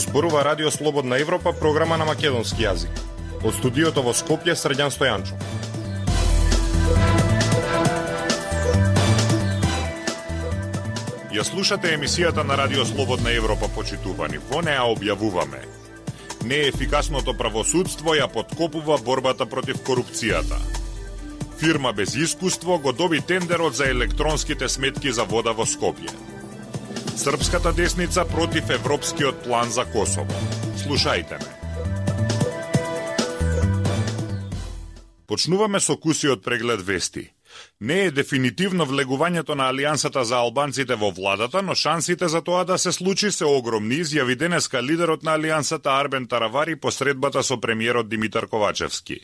зборува Радио Слободна Европа, програма на македонски јазик. Од студиото во Скопје, Срđan Стојанчо. Ја слушате емисијата на Радио Слободна Европа, почитувани. Во неа објавуваме: неефикасното правосудство ја подкопува борбата против корупцијата. Фирма без искуство го доби тендерот за електронските сметки за вода во Скопје. Српската десница против европскиот план за Косово. Слушајте ме. Почнуваме со кусиот преглед вести. Не е дефинитивно влегувањето на Алијансата за албанците во владата, но шансите за тоа да се случи се огромни, изјави денеска лидерот на Алијансата Арбен Таравари по средбата со премиерот Димитар Ковачевски.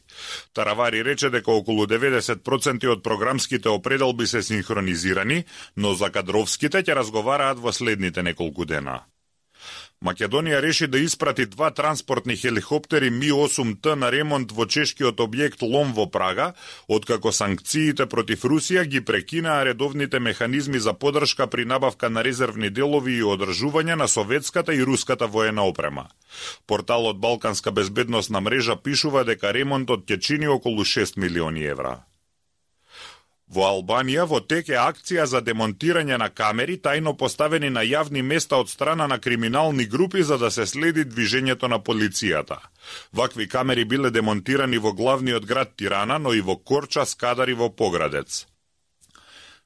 Таравари рече дека околу 90% од програмските определби се синхронизирани, но за кадровските ќе разговараат во следните неколку дена. Македонија реши да испрати 2 транспортни хеликоптери Ми-8Т на ремонт во чешкиот објект Лом во Прага, откако санкциите против Русија ги прекинаа редовните механизми за поддршка при набавка на резервни делови и одржување на советската и руската воена опрема. Порталот Балканска безбедносна мрежа пишува дека ремонтот ќе чини околу 6 милиони евра. Во Албанија во тек е акција за демонтирање на камери тајно поставени на јавни места од страна на криминални групи за да се следи движењето на полицијата. Вакви камери биле демонтирани во главниот град Тирана, но и во Корча, Скадар и во Поградец.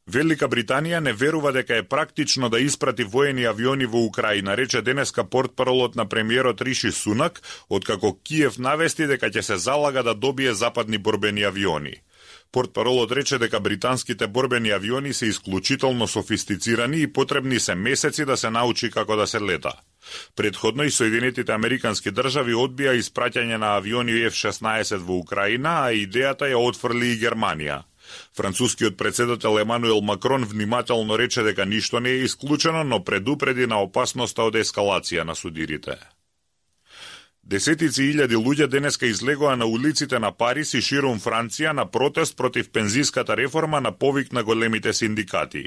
Велика Британија не верува дека е практично да испрати воени авиони во Украина, рече денеска портпаролот на премиерот Риши Сунак, откако Киев навести дека ќе се залага да добие западни борбени авиони. Портпаролот рече дека британските борбени авиони се исклучително софистицирани и потребни се месеци да се научи како да се лета. Предходно и Соединетите Американски држави одбија испраќање на авиони F-16 во Украина, а идејата ја отфрли и Германија. Францускиот председател Емануел Макрон внимателно рече дека ништо не е исклучено, но предупреди на опасноста од ескалација на судирите. Десетици илјади луѓе денеска излегоа на улиците на Париз и ширум Франција на протест против пензиската реформа на повик на големите синдикати.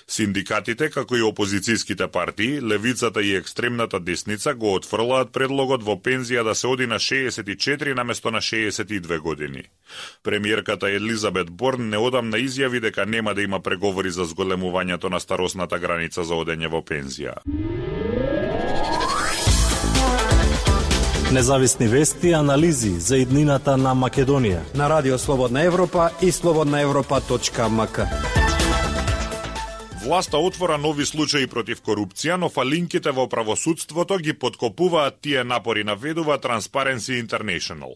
Синдикатите, како и опозицијските партии, левицата и екстремната десница го отфрлаат предлогот во пензија да се оди на 64 наместо на 62 години. Премиерката Елизабет Борн неодамна изјави дека нема да има преговори за зголемувањето на старосната граница за одење во пензија. Независни вести и анализи за иднината на Македонија на Радио Слободна Европа и slobodnaevropa.mk. Власта отвора нови случаи против корупција, но фалинките во правосудството ги подкопуваат тие напори, наведува Transparency International.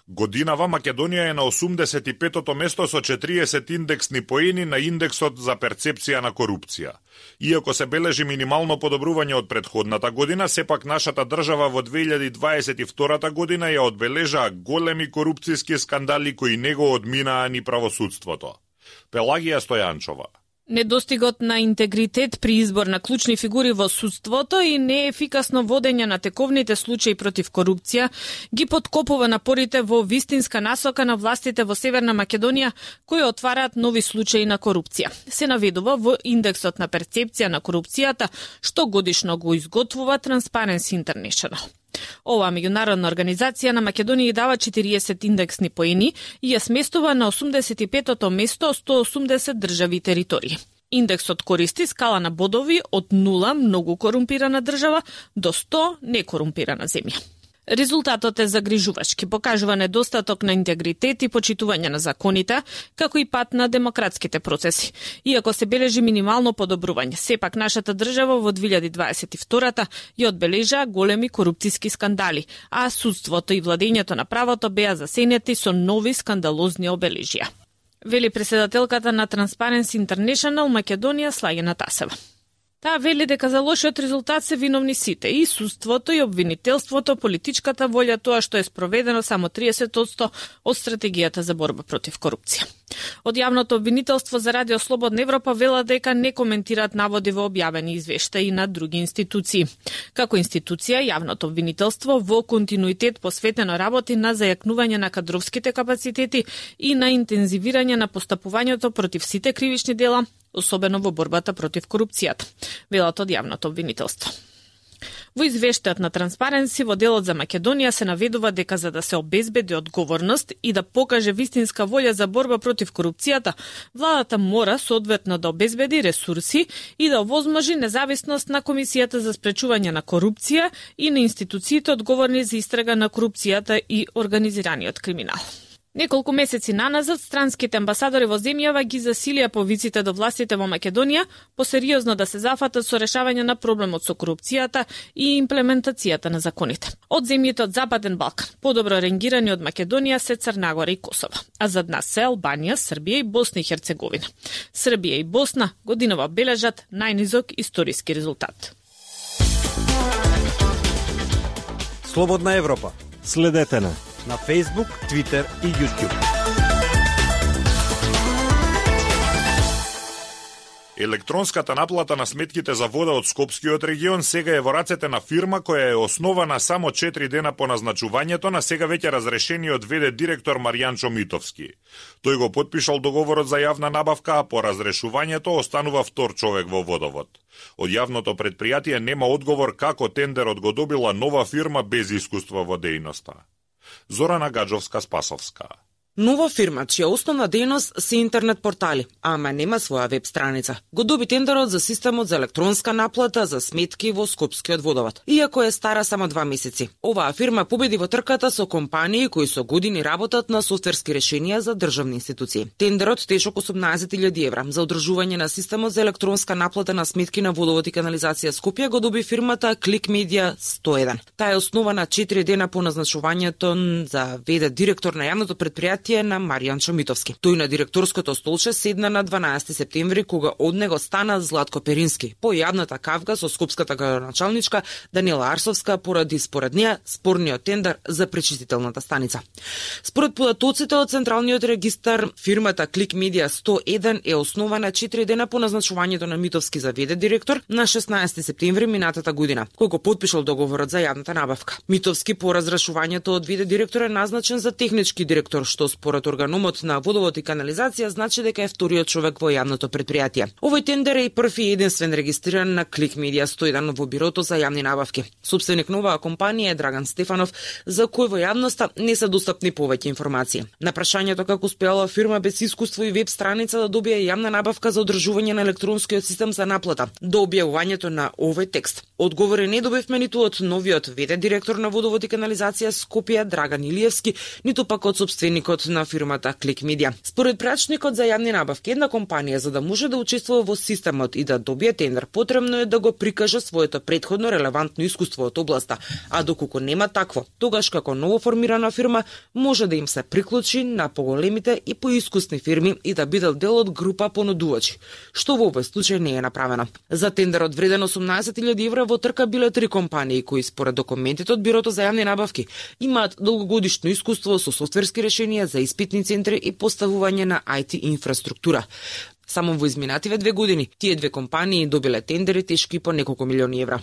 Годинава Македонија е на 85-тото место со 40 индексни поени на индексот за перцепција на корупција. Иако се бележи минимално подобрување од претходната година, сепак нашата држава во 2022 година ја одбележаа големи корупцијски скандали кои не го одминаа ни правосудството. Пелагија Стојанчова. Недостигот на интегритет при избор на клучни фигури во судството и неефикасно водење на тековните случаи против корупција ги подкопува напорите во вистинска насока на властите во Северна Македонија, кои отвараат нови случаи на корупција. Се наведува во индексот на перцепција на корупцијата, што годишно го изготвува Transparency International. Оваа меѓународна организација на Македонија дава 40 индексни поени и ја сместува на 85-тото место од 180 држави и територии. Индексот користи скала на бодови од 0 многу корумпирана држава до 100 некорумпирана земја. Резултатот е загрижувачки, покажува недостаток на интегритет и почитување на законите, како и пат на демократските процеси. Иако се бележи минимално подобрување, сепак нашата држава во 2022 ја одбележаа големи корупцијски скандали, а судството и владењето на правото беа засенети со нови скандалозни обележја. Вели председателката на Transparency International Македонија Слагена Тасева. Таа вели дека за лошиот резултат се виновни сите, и судството, и обвинителството, политичката волја, тоа што е спроведено само 30% од стратегијата за борба против корупција. Од јавното обвинителство за Радио Слободна Европа вела дека не коментираат наводи во објавени извештаи на други институции. Како институција, јавното обвинителство во континуитет посветено работи на зајакнување на кадровските капацитети и на интензивирање на постапувањето против сите кривични дела, особено во борбата против корупцијата, велат од јавното обвинителство. Во извештајот на Транспаренси во делот за Македонија се наведува дека за да се обезбеди одговорност и да покаже вистинска волја за борба против корупцијата, владата мора соодветно да обезбеди ресурси и да овозможи независност на Комисијата за спречување на корупција и на институциите одговорни за истрага на корупцијата и организираниот криминал. Неколку месеци наназад, странските амбасадори во земјава ги засилија повиците до властите во Македонија посериозно да се зафатат со решавање на проблемот со корупцијата и имплементацијата на законите. Од земјите од Западен Балкан, подобро ренгирани од Македонија се Црна Гора и Косово, а зад нас се Албанија, Србија и Босна и Херцеговина. Србија и Босна годинава бележат најнизок историски резултат. Слободна Европа. Следете на Facebook, Twitter и YouTube. Електронската наплата на сметките за вода од Скопскиот регион сега е во рацете на фирма која е основана само 4 дена по назначувањето на сега веќе разрешениот ВД директор Маријан Митовски. Тој го потпишал договорот за јавна набавка, а по разрешувањето останува втор човек во водовод. Од јавното предпријатие нема одговор како тендерот го добила нова фирма без искуство во дејноста. Зорана Гаджовска-Спасовска. Нова фирма, чија основна дејност се интернет портали, ама нема своја веб страница, го доби тендерот за системот за електронска наплата за сметки во Скопскиот водовод. Иако е стара само 2 месеци, оваа фирма победи во трката со компании кои со години работат на софтверски решенија за државни институции. Тендерот тешок 18.000 евра за одржување на системот за електронска наплата на сметки на водовод и канализација Скопје го доби фирмата Click Media 101. Таа е основана 4 дена по назначувањето за ВД директор на јавното предпријатие на Маријан Митовски. Тој на директорското столче седна на 12 септември кога од него стана Златко Перински по јавната кавга со скопската градоначалничка Данила Арсовска поради според неа спорниот тендер за пречистителната станица. Според податоците од Централниот регистар, фирмата Click Media 101 е основана 4 дена по назначувањето на Митовски за ВД директор на 16 септември минатата година, кој го потпишал договорот за јавната набавка. Митовски по разрешувањето од ВД директор е назначен за технички директор, што според органомот на водовод и канализација значи дека е вториот човек во јавното предпријатие. Овој тендер е и први и единствен регистриран на Click Media 101 во бирото за јавни набавки. Собственик на оваа компанија е Драган Стефанов, за кој во јавноста не се достапни повеќе информации. На прашањето како успеала фирма без искуство и веб страница да добие јавна набавка за одржување на електронскиот систем за наплата до објавувањето на овој текст, одговори не добивме ниту од новиот ВД директор на водовод и канализација Скопје Драган Илиевски, ниту пак од собственикот на фирмата Click Media. Според прачникот за јавни набавки, една компанија за да може да учествува во системот и да добие тендер, потребно е да го прикаже своето претходно релевантно искуство од областа, а доколку нема такво, тогаш како новоформирана фирма може да им се приклучи на поголемите и поискусни фирми и да биде дел од група понудувачи, што во овој случај не е направено. За тендерот вреден 18.000 евра во трка биле 3 компании кои според документите од Бирото за јавни набавки имаат долгогодишно искуство со софтверски решенија за испитни центри и поставување на IT инфраструктура. Само во изминативе 2 години, тие 2 компании добиле тендери тешки по неколку милиони евра.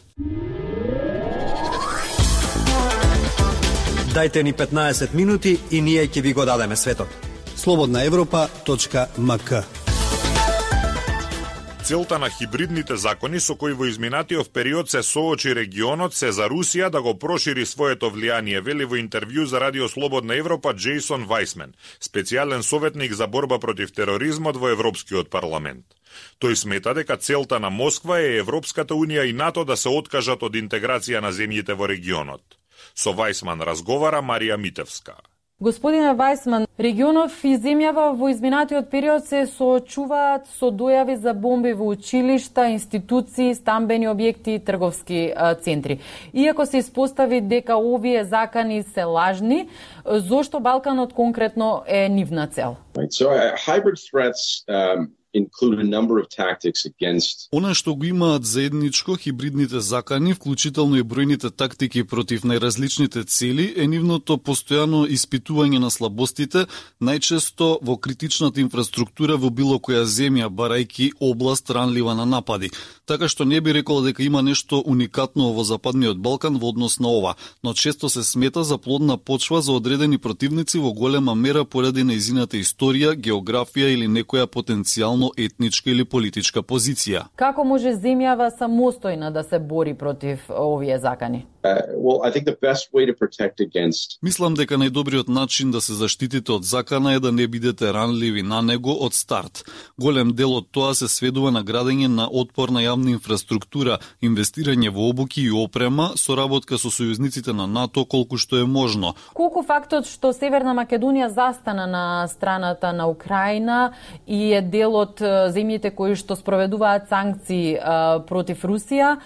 Дајте ни 15 минути и ние ќе ви го дадеме светот. slobodnaevropa.mk. Целта на хибридните закони со кои во изминатиот период се соочи регионот се за Русија да го прошири своето влијание, вели во интервју за Радио Слободна Европа Джейсон Вајсмен, специјален советник за борба против тероризмот во Европскиот парламент. Тој смета дека целта на Москва е Европската унија и НАТО да се откажат од интеграција на земјите во регионот. Со Вајсман разговара Марија Митевска. Господине Вајсман, регионов и земјава во изминатиот период се соочуваат со дојави за бомби во училишта, институции, стамбени објекти и трговски центри. Иако се испостави дека овие закани се лажни, зошто Балканот конкретно е нивна цел? Hybrid threats include a number of tactics against. Она што го имаат заедничко хибридните закани, вклучително и бројните тактики против најразличните цели, е нивното постојано испитување на слабостите, најчесто во критичната инфраструктура во било која земја, барајки област ранлива на напади. Така што не би рекол дека има нешто уникатно во Западниот Балкан во однос на ова, но често се смета за плодна почва за одредени противници во голема мера поради нејзината историја, географија или некоја потенцијално национално, етничка или политичка позиција. Како може земјава самостојна да се бори против овие закани? Well, I think the best way to protect against... Мислам дека најдобриот начин да се заштитите од закана е да не бидете ранливи на него од старт. Голем дел од тоа се сведува на градење на отпорна јавна инфраструктура, инвестирање во обуки и опрема, соработка со сојузниците на НАТО колку што е можно. Колку фактот што Северна Македонија застана на страната на Украина и е дел од земјите кои што спроведуваат санкции против Русија,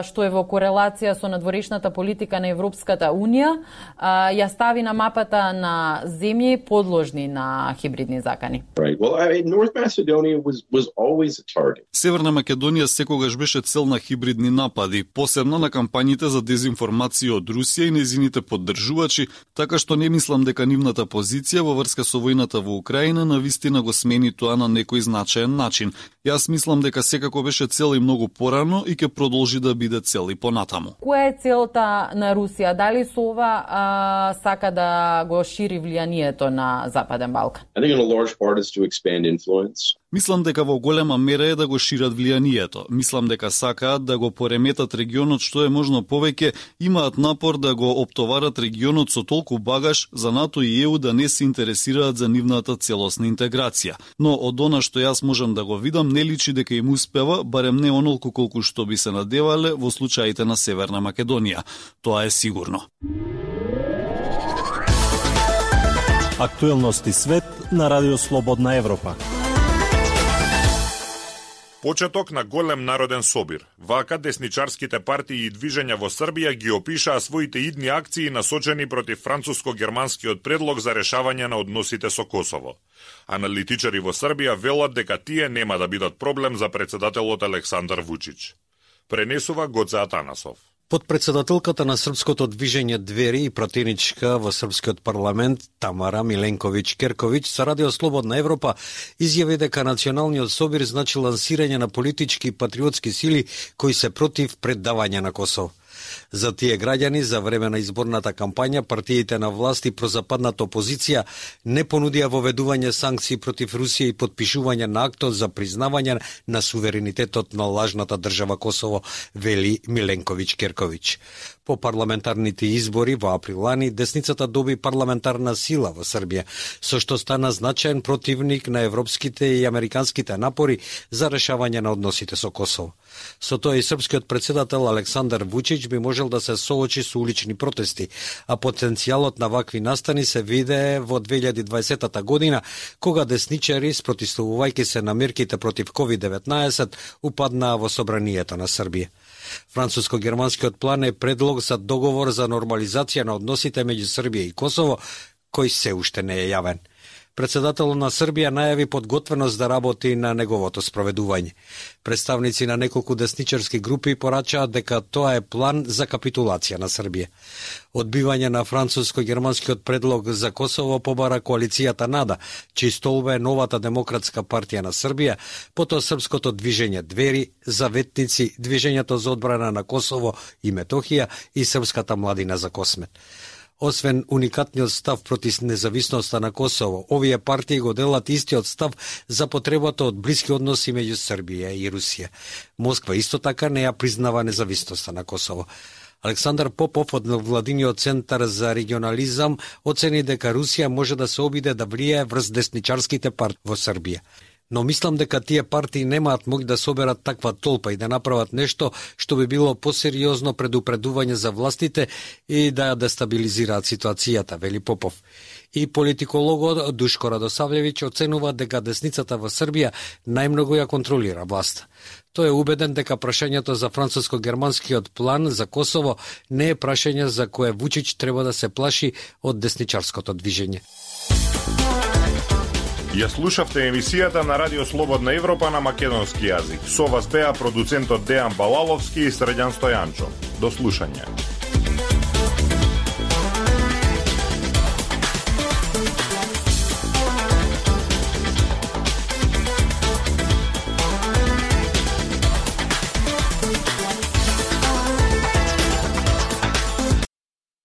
што е во корелација со надворешната политика на Европската Унија, ја стави на мапата на земји подложни на хибридни закани. Right. Well, North Macedonia was always a target. Северна Македонија секогаш беше цел на хибридни напади, посебно на кампањите за дезинформација од Русија и незините поддржувачи, така што не мислам дека нивната позиција во врска со војната во Украина навистина го смени тоа на некој значаен начин. Јас мислам дека секако беше цел и многу порано и ќе продолжи да биде цел и понатаму. Која е целта на Русија? Дали со ова сака да го шири влијанието на Западен Балкан? I think in a large part is to expand influence. Мислам дека во голема мера е да го шират влијанието. Мислам дека сакаат да го пореметат регионот што е можно повеќе, имаат напор да го оптоварат регионот со толку багаж за НАТО и ЕУ да не се интересираат за нивната целосна интеграција. Но од она што јас можам да го видам, не личи дека им успева, барем не онолку колку што би се надевале во случаите на Северна Македонија. Тоа е сигурно. Актуелности свет на Радио Слободна Европа. Почеток на голем народен собир. Вака десничарските партии и движења во Србија ги опишаа своите идни акции насочени против француско-германскиот предлог за решавање на односите со Косово. Аналитичари во Србија велат дека тие нема да бидат проблем за председателот Александар Вучич. Пренесува Гоце Атанасов. Подпредседателката на српското движење Двери и пратеничка во српскиот парламент Тамара Миленковиќ-Керковиќ со Радио Слободна Европа изјави дека националниот собир значи лансирање на политички и патриотски сили кои се против предавање на Косово. За тие граѓани, за време на изборната кампања, партиите на власт и прозападната опозиција не понудија воведување санкции против Русија и подпишување на актот за признавање на суверенитетот на лажната држава Косово, вели Миленковиќ-Керковиќ. По парламентарните избори во април лани, десницата доби парламентарна сила во Србија, со што стана значаен противник на европските и американските напори за решавање на односите со Косово. Со тоа и српскиот председател Александар Вучич би можел да се соочи со улични протести, а потенцијалот на вакви настани се виде во 2020 година, кога десничари, спротивувајќи се на мерките против COVID-19, упаднаа во собранието на Србија. Француско-германскиот план е предлог за договор за нормализација на односите меѓу Србија и Косово, кој се уште не е јавен. Председателот на Србија најави подготвеност да работи на неговото спроведување. Представници на неколку десничарски групи порачаат дека тоа е план за капитулација на Србија. Одбивање на француско-германскиот предлог за Косово побара коалицијата НАДА, чиј столб е новата демократска партија на Србија, потоа српското движење Двери, Заветници, Движењето за одбрана на Косово и Метохија и Српската младина за Космет. Освен уникатниот став против независноста на Косово, овие партии го делат истиот став за потребата од блиски односи меѓу Србија и Русија. Москва исто така не ја признава независноста на Косово. Александар Попов од Владиниот центар за регионализам оцени дека Русија може да се обиде да влијае врз десничарските партии во Србија. Но мислам дека тие партии немаат моќ да соберат таква толпа и да направат нешто што би било посериозно предупредување за властите и да ја дестабилизираат ситуацијата, вели Попов. И политикологот Душко Радосавлевиќ оценува дека десницата во Србија најмногу ја контролира власта. Тој е убеден дека прашањето за француско-германскиот план за Косово не е прашање за кое Вучич треба да се плаши од десничарското движење. Ја слушавте емисијата на Радио Слободна Европа на македонски јазик. Со вас беа продуцентот Дејан Балаловски и Срđan Стојанчо. До слушање.